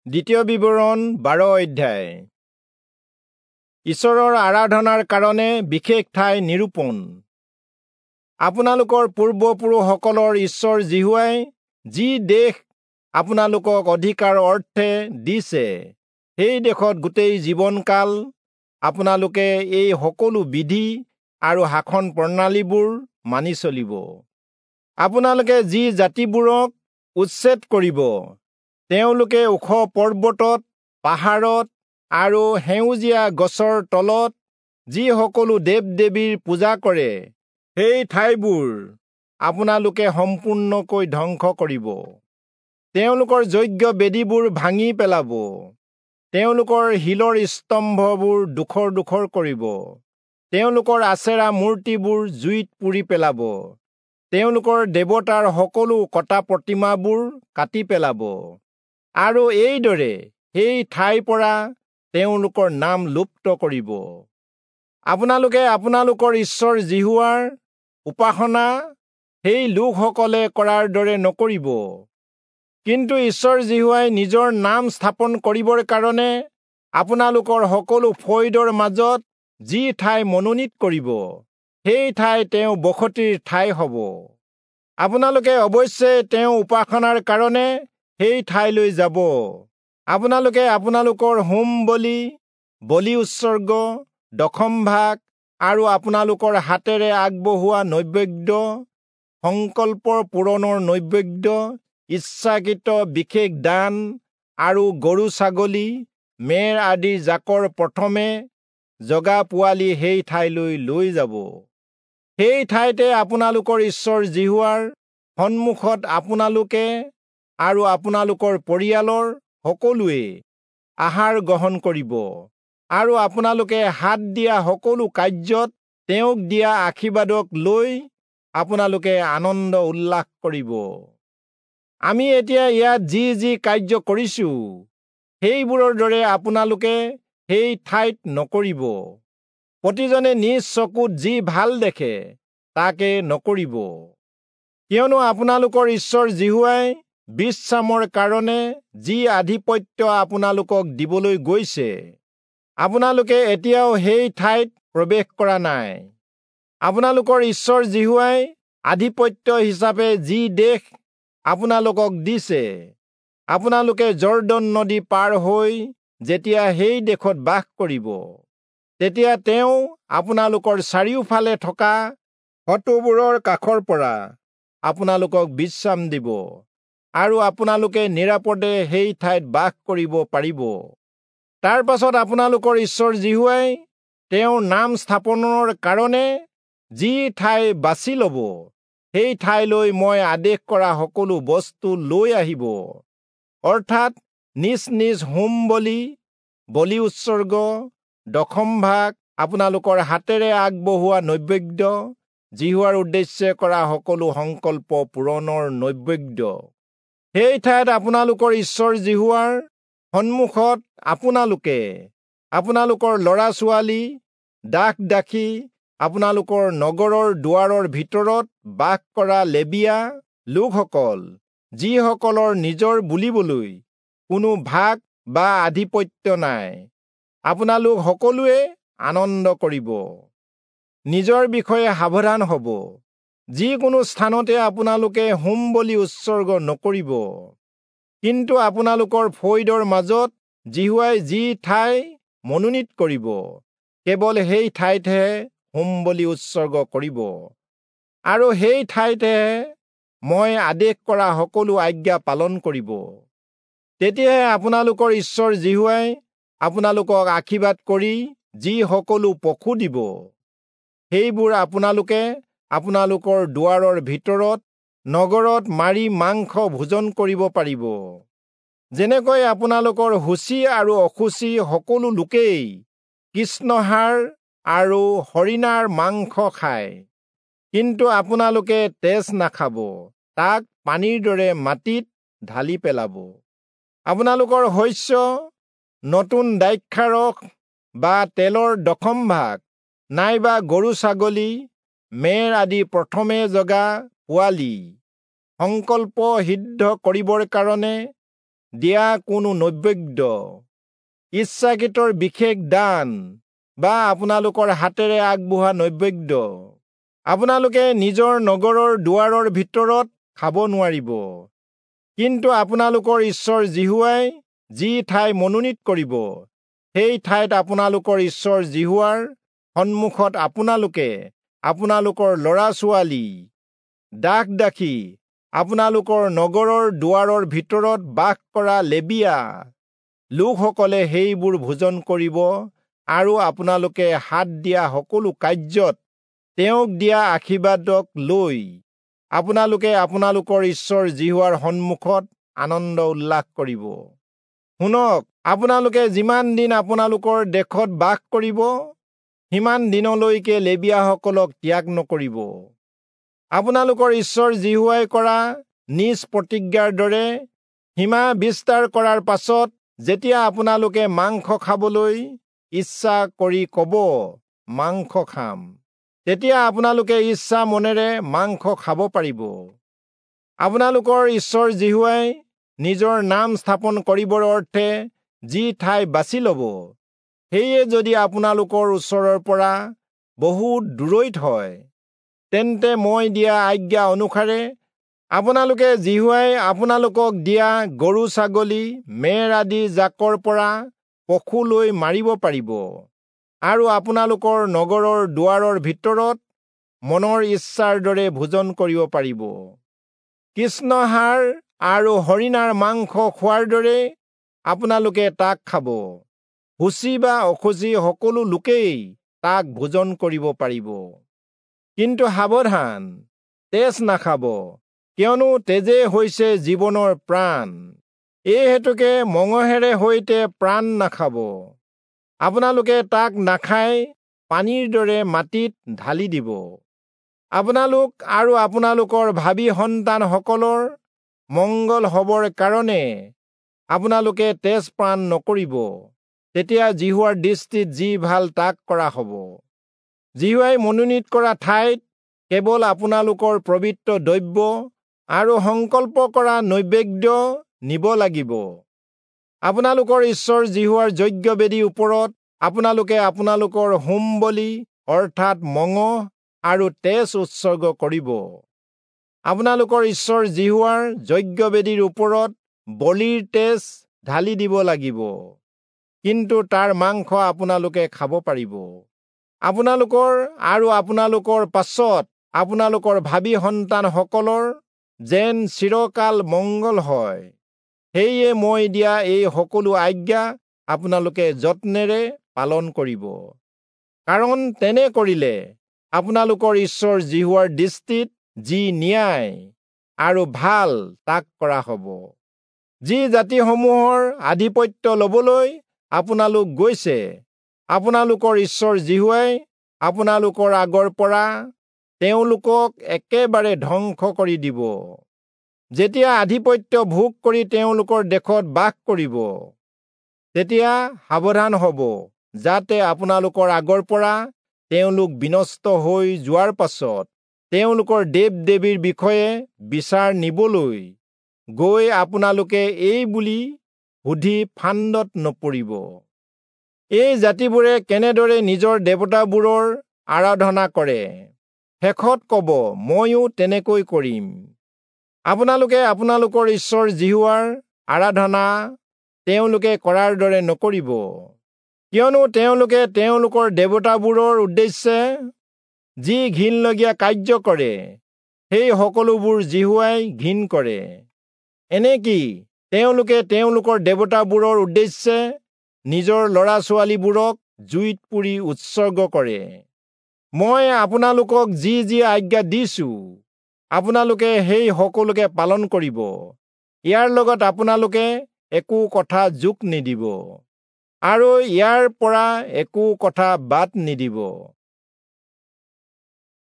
দ্বিতীয় বিৱৰণ 12 অধ্যায়। ঈশ্বৰৰ আৰাধনাৰ কাৰণে বিশেষ ঠাই নিৰূপণ। আপোনালোকৰ পূৰ্বপুৰুষসকলৰ ঈশ্বৰ যিহোৱাই যি দেশ আপোনালোকক অধিকাৰ অৰ্থে দিছে, সেই দেশত গোটেই জীৱনকাল আপোনালোকে এই সকলো বিধি আৰু শাসন প্ৰণালীবোৰ মানি চলিব। আপোনালোকে যি জাতিবোৰক উচ্ছেদ কৰিব, তেওঁলোকে ওখ পৰ্বতত, পাহাৰত আৰু সেউজীয়া গছৰ তলত যি সকলো দেৱ দেৱীৰ পূজা কৰে, সেই ঠাইবোৰ আপোনালোকে সম্পূৰ্ণকৈ ধ্বংস কৰিব। তেওঁলোকৰ যজ্ঞ বেদীবোৰ ভাঙি পেলাব, তেওঁলোকৰ শিলৰ স্তম্ভবোৰ ডোখৰ ডোখৰ কৰিব, তেওঁলোকৰ আচেৰা মূৰ্তিবোৰ জুইত পুৰি পেলাব, তেওঁলোকৰ দেৱতাৰ সকলো কটা প্ৰতিমাবোৰ কাটি পেলাব, আৰু এইদৰে সেই ঠাইৰ পৰা তেওঁলোকৰ নাম লুপ্ত কৰিব। আপোনালোকে আপোনালোকৰ ঈশ্বৰ যিহোৱাৰ উপাসনা সেই লোকসকলে কৰাৰ দৰে নকৰিব। কিন্তু ঈশ্বৰ যিহোৱাই নিজৰ নাম স্থাপন কৰিবৰ কাৰণে আপোনালোকৰ সকলো ফৈদৰ মাজত যি ঠাই মনোনীত কৰিব, সেই ঠাই তেওঁ বসতিৰ ঠাই হ'ব। আপোনালোকে অৱশ্যে তেওঁ উপাসনাৰ কাৰণে সেই ঠাইলৈ যাব। আপোনালোকে আপোনালোকৰ হোম বলি, বলি উৎসৰ্গ, দশম ভাগ আৰু আপোনালোকৰ হাতেৰে আগবঢ়োৱা নৈবেদ্য, সংকল্প পূৰণৰ নৈবেদ্য, ইচ্ছাকৃত বিশেষ দান আৰু গৰু ছাগলী, মেৰ আদিৰ জাকৰ প্ৰথমে জগা পোৱালি সেই ঠাইলৈ লৈ যাব। সেই ঠাইতে আপোনালোকৰ ঈশ্বৰ যিহোৱাৰ সন্মুখত আপোনালোকে আৰু আপোনালোকৰ পৰিয়ালৰ সকলোৱে আহাৰ গ্ৰহণ কৰিব, আৰু আপোনালোকে হাত দিয়া সকলো কাৰ্যত তেওঁক দিয়া আশীৰ্বাদক লৈ আপোনালোকে আনন্দ উল্লাস কৰিব। আমি এতিয়া ইয়াত যি যি কাৰ্য কৰিছো, সেইবোৰৰ দৰে আপোনালোকে সেই ঠাইত নকৰিব। প্ৰতিজনে নিজ চকুত যি ভাল দেখে তাকে নকৰিব, কিয়নো আপোনালোকৰ ঈশ্বৰ যিহোৱাই বিশ্ৰামৰ কাৰণে যি আধিপত্য আপোনালোকক দিবলৈ গৈছে, আপোনালোকে এতিয়াও সেই ঠাইত প্ৰৱেশ কৰা নাই। আপোনালোকৰ ঈশ্বৰ যিহোৱাই আধিপত্য হিচাপে যি দেশ আপোনালোকক দিছে, আপোনালোকে যৰ্দন নদী পাৰ হৈ যেতিয়া সেই দেশত বাস কৰিব, তেতিয়া তেওঁ আপোনালোকৰ চাৰিওফালে থকা শত্ৰুবোৰৰ কাষৰ পৰা আপোনালোকক বিশ্ৰাম দিব, আৰু আপোনালোকে নিৰাপদে সেই ঠাইত বাস কৰিব পাৰিব। তাৰ পাছত আপোনালোকৰ ঈশ্বৰ যিহোৱাই তেওঁৰ নাম স্থাপনৰ কাৰণে যি ঠাই বাছি ল'ব, সেই ঠাইলৈ মই আদেশ কৰা সকলো বস্তু লৈ আহিব, অৰ্থাৎ নিজ নিজ হোম বলি, বলি উৎসৰ্গ, দশম ভাগ, আপোনালোকৰ হাতেৰে আগবঢ়োৱা নৈবেদ্য, যিহোৱাৰ উদ্দেশ্যে কৰা সকলো সংকল্প পূৰণৰ নৈবেদ্য। সেই ঠাইত আপোনালোকৰ ঈশ্বৰ যিহোৱাৰ সন্মুখত আপোনালোকে, আপোনালোকৰ ল'ৰা ছোৱালী, দাস দাসী, আপোনালোকৰ নগৰৰ দুৱাৰৰ ভিতৰত বাস কৰা লেবীয়া লোকসকল, যিসকলৰ নিজৰ বুলিবলৈ কোনো ভাগ বা আধিপত্য নাই, আপোনালোক সকলোৱে আনন্দ কৰিব। নিজৰ বিষয়ে সাৱধান হ'ব। যিকোনো স্থানতে আপোনালোকে হোম বলি উৎসৰ্গ নকৰিব, কিন্তু আপোনালোকৰ ফৈদৰ মাজত যিহোৱাই যি ঠাই মনোনীত কৰিব, কেৱল সেই ঠাইতহে হোম বলি উৎসৰ্গ কৰিব, আৰু সেই ঠাইতহে মই আদেশ কৰা সকলো আজ্ঞা পালন কৰিব। তেতিয়াহে আপোনালোকৰ ঈশ্বৰ যিহোৱাই আপোনালোকক আশীৰ্বাদ কৰি যি সকলো পশু দিব, সেইবোৰ আপোনালোকে আপোনালোকৰ দুৱাৰৰ ভিতৰত নগৰত মাৰি মাংস ভোজন কৰিব পাৰিব। যেনেকৈ আপোনালোকৰ শুচি আৰু অশুচি সকলো লোকেই কৃষ্ণহাৰ আৰু হৰিণাৰ মাংস খায়, কিন্তু আপোনালোকে তেজ নাখাব, তাক পানীৰ দৰে মাটিত ঢালি পেলাব। আপোনালোকৰ শস্য, নতুন দ্ৰাক্ষাৰস বা তেলৰ দশম ভাগ, নাইবা গৰু ছাগলী, মেৰ আদি প্ৰথমে জগা পোৱালি সংকল্প সিদ্ধ কৰিবৰ কাৰণে দিয়া কোনো নৈবেদ্য, ইচ্ছাকৃতৰ বিশেষ দান বা আপোনালোকৰ হাতেৰে আগবঢ়োৱা নৈবেদ্য আপোনালোকে নিজৰ নগৰৰ দুৱাৰৰ ভিতৰত খাব নোৱাৰিব। কিন্তু আপোনালোকৰ ঈশ্বৰ যিহোৱাই যি ঠাই মনোনীত কৰিব, সেই ঠাইত আপোনালোকৰ ঈশ্বৰ যিহোৱাৰ সন্মুখত আপোনালোকে আপোনালোকৰ ল'ৰা ছোৱালী, দাস দাসী, আপোনালোকৰ নগৰৰ দুৱাৰৰ ভিতৰত বাস কৰা লেবীয়া লোকসকলে সেইবোৰ ভোজন কৰিব আৰু আপোনালোকে হাত দিয়া সকলো কাৰ্যত তেওঁক দিয়া আশীৰ্বাদক লৈ আপোনালোকে আপোনালোকৰ ঈশ্বৰ যিহোৱাৰ সন্মুখত আনন্দ উল্লাস কৰিব। শুনক, আপোনালোকে যিমান দিন আপোনালোকৰ দেশত বাস কৰিব, সিমান দিনলৈকে লেবীয়াসকলক ত্যাগ নকৰিব। আপোনালোকৰ ঈশ্বৰ যিহোৱাই কৰা নিজ প্ৰতিজ্ঞাৰ দৰে সীমা বিস্তাৰ কৰাৰ পাছত যেতিয়া আপোনালোকে মাংস খাবলৈ ইচ্ছা কৰি ক'ব, মাংস খাম, তেতিয়া আপোনালোকে ইচ্ছা মনেৰে মাংস খাব পাৰিব। আপোনালোকৰ ঈশ্বৰ যিহোৱাই নিজৰ নাম স্থাপন কৰিবৰ অৰ্থে যি ঠাই বাছি ল'ব, সেয়ে যদি আপোনালোকৰ ওচৰৰ পৰা বহুত দূৰৈত হয়, তেন্তে মই দিয়া আজ্ঞা অনুসাৰে আপোনালোকে যিহোৱাই আপোনালোকক দিয়া গৰু, ছাগলী, মেৰ আদি জাকৰ পৰা পশু লৈ মাৰিব পাৰিব আৰু আপোনালোকৰ নগৰৰ দুৱাৰৰ ভিতৰত মনৰ ইচ্ছাৰ দৰে ভোজন কৰিব পাৰিব। কৃষ্ণহাৰ আৰু হৰিণাৰ মাংস খোৱাৰ দৰে আপোনালোকে তাক খাব। শুচি বা অশুচি সকলো লোকেই তাক ভোজন কৰিব পাৰিব। কিন্তু সাৱধান, তেজ নাখাব, কিয়নো তেজে হৈছে জীৱনৰ প্ৰাণ। এই হেতুকে মঙহেৰে সৈতে প্ৰাণ নাখাব। আপোনালোকে তাক নাখাই পানীৰ দৰে মাটিত ঢালি দিব। আপোনালোক আৰু আপোনালোকৰ ভাবী সন্তানসকলৰ মংগল হবৰ কাৰণে আপোনালোকে তেজ পান নকৰিব। তেতিয়া যিহোৱাৰ দৃষ্টিত যি ভাল তাক কৰা হ'ব। যিহোৱাই মনোনীত কৰা ঠাইত কেৱল আপোনালোকৰ পবিত্ৰ দ্ৰব্য আৰু সংকল্প কৰা নৈবেদ্য নিব লাগিব। আপোনালোকৰ ঈশ্বৰ যিহোৱাৰ যজ্ঞবেদীৰ ওপৰত আপোনালোকে আপোনালোকৰ হোম বলি অৰ্থাৎ মঙহ আৰু তেজ উৎসৰ্গ কৰিব। আপোনালোকৰ ঈশ্বৰ যিহোৱাৰ যজ্ঞবেদীৰ ওপৰত বলিৰ তেজ ঢালি দিব লাগিব, কিন্তু তাৰ মাংস আপোনালোকে খাব পাৰিব। আপোনালোকৰ আৰু আপোনালোকৰ পাছত আপোনালোকৰ ভাবী সন্তানসকলৰ যেন চিৰকাল মংগল হয়, সেয়ে মই দিয়া এই সকলো আজ্ঞা আপোনালোকে যত্নেৰে পালন কৰিব। কাৰণ তেনে কৰিলে আপোনালোকৰ ঈশ্বৰ যিহোৱাৰ দৃষ্টিত যি ন্যায় আৰু ভাল তাক কৰা হ'ব। যি জাতিসমূহৰ আধিপত্য ল'বলৈ আপোনালোক গৈছে, আপোনালোকৰ ঈশ্বৰ যিহোৱাই আপোনালোকৰ আগৰ পৰা তেওঁলোকক একেবাৰে ধ্বংস কৰি দিব। যেতিয়া আধিপত্য ভোগ কৰি তেওঁলোকৰ দেশত বাস কৰিব, তেতিয়া সাৱধান হ'ব, যাতে আপোনালোকৰ আগৰ পৰা তেওঁলোক বিনষ্ট হৈ যোৱাৰ পাছত তেওঁলোকৰ দেৱ দেৱীৰ বিষয়ে বিচাৰ নিবলৈ গৈ আপোনালোকে এই বুলি সুধি ফান্দত নপৰিব, এই জাতিবোৰে কেনেদৰে নিজৰ দেৱতাবোৰৰ আৰাধনা কৰে। শেষত ক'ব, ময়ো তেনেকৈ কৰিম। আপোনালোকে আপোনালোকৰ ঈশ্বৰ যিহোৱাৰ আৰাধনা তেওঁলোকে কৰাৰ দৰে নকৰিব, কিয়নো তেওঁলোকে তেওঁলোকৰ দেৱতাবোৰৰ উদ্দেশ্যে যি ঘিণলগীয়া কাৰ্য কৰে, সেই সকলোবোৰ যিহোৱাই ঘিণ কৰে। এনেকি তেওঁলোকে তেওঁলোকৰ দেৱতাবোৰৰ উদ্দেশ্যে নিজৰ ল'ৰা ছোৱালীবোৰক জুইত পুৰি উৎসৰ্গ কৰে। মই আপোনালোকক যি যি আজ্ঞা দিছো, আপোনালোকে সেই সকলোকে পালন কৰিব। ইয়াৰ লগত আপোনালোকে একো কথা যোগ নিদিব আৰু ইয়াৰ পৰা একো কথা বাদ নিদিব।